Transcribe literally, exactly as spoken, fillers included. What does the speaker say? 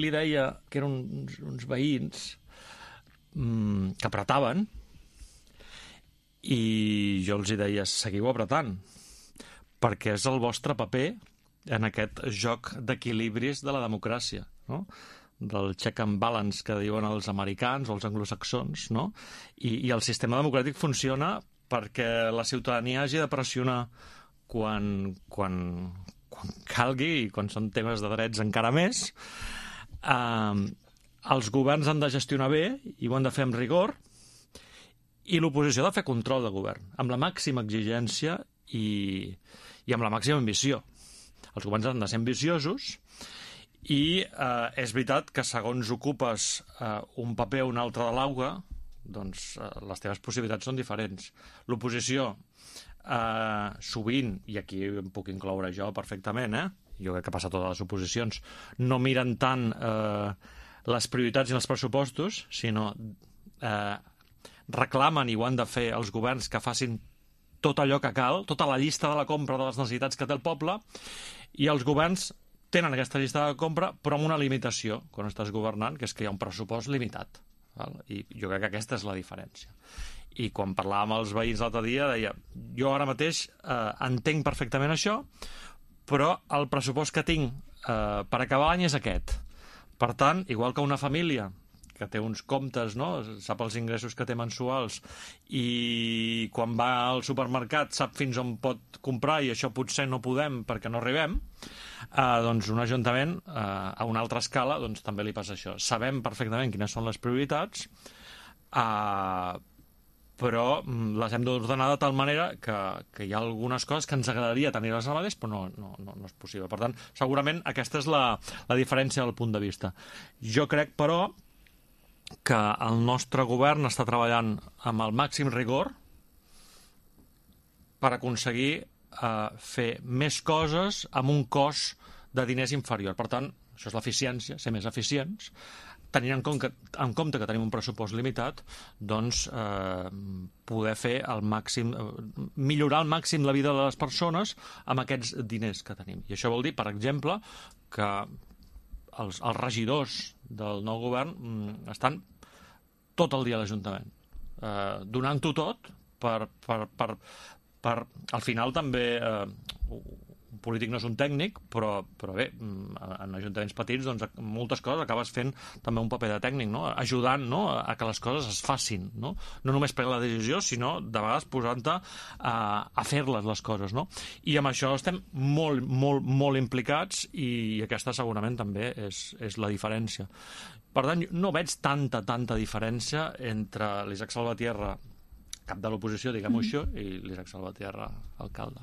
Li deia que eren uns, uns veïns mmm, que apretaven, i jo els hi deia, seguiu apretant, perquè és el vostre paper en aquest joc d'equilibris de la democràcia, no? Del check and balance que diuen els americans o els anglosaxons, no? I, i el sistema democràtic funciona perquè la ciutadania hagi de pressionar quan, quan, quan calgui, i quan són temes de drets encara més. Eh, els governs han de gestionar bé i ho han de fer amb rigor, i l'oposició ha de fer control de govern, amb la màxima exigència i, i amb la màxima ambició. Els governs han de ser ambiciosos, i eh, és veritat que segons ocupes eh, un paper o un altre de l'auga, doncs eh, les teves possibilitats són diferents. L'oposició, eh, sovint, i aquí em puc incloure jo perfectament, eh? Jo crec que passa a totes les oposicions, no miren tant eh, les prioritats i els pressupostos, sinó eh, reclamen, i ho han de fer els governs, que facin tot allò que cal, tota la llista de la compra de les necessitats que té el poble, i els governs tenen aquesta llista de compra, però amb una limitació quan estàs governant, que és que hi ha un pressupost limitat. Val? I jo crec que aquesta és la diferència. I quan parlàvem amb els veïns l'altre dia, deia, jo ara mateix eh, entenc perfectament això, però el pressupost que tinc eh, per acabar l'any és aquest. Per tant, igual que una família que té uns comptes, no? Sap els ingressos que té mensuals, i quan va al supermercat sap fins on pot comprar, i això potser no podem perquè no arribem, eh, doncs un ajuntament eh, a una altra escala doncs també li passa això. Sabem perfectament quines són les prioritats, eh, però les hem d'ordenar de tal manera que, que hi ha algunes coses que ens agradaria tenir-les al mateix, però no, no, no, no és possible. Per tant, segurament aquesta és la, la diferència del punt de vista. Jo crec, però, que el nostre govern està treballant amb el màxim rigor per aconseguir eh, fer més coses amb un cost de diners inferior. Per tant, això és l'eficiència, ser més eficients, tenint en compte, en compte que tenim un pressupost limitat, doncs eh, poder fer el màxim, eh, millorar al màxim la vida de les persones amb aquests diners que tenim. I això vol dir, per exemple, que els, els regidors del nou govern mm, estan tot el dia a l'Ajuntament, eh, donant-ho tot per, per, per, per... Al final també, eh, un polític no és un tècnic, però, però bé, en ajuntaments petits, doncs, moltes coses acabes fent també un paper de tècnic, no? Ajudant, no? A que les coses es facin, no? No només prenent la decisió, sinó de vegades posant-te a, a fer-les, les coses, no? I amb això estem molt, molt, molt implicats, i aquesta segurament també és, és la diferència. Per tant, no veig tanta, tanta diferència entre l'Isaac Salvatierra, cap de l'oposició, diguem-ho així, i l'Isaac Salvatierra, alcalde.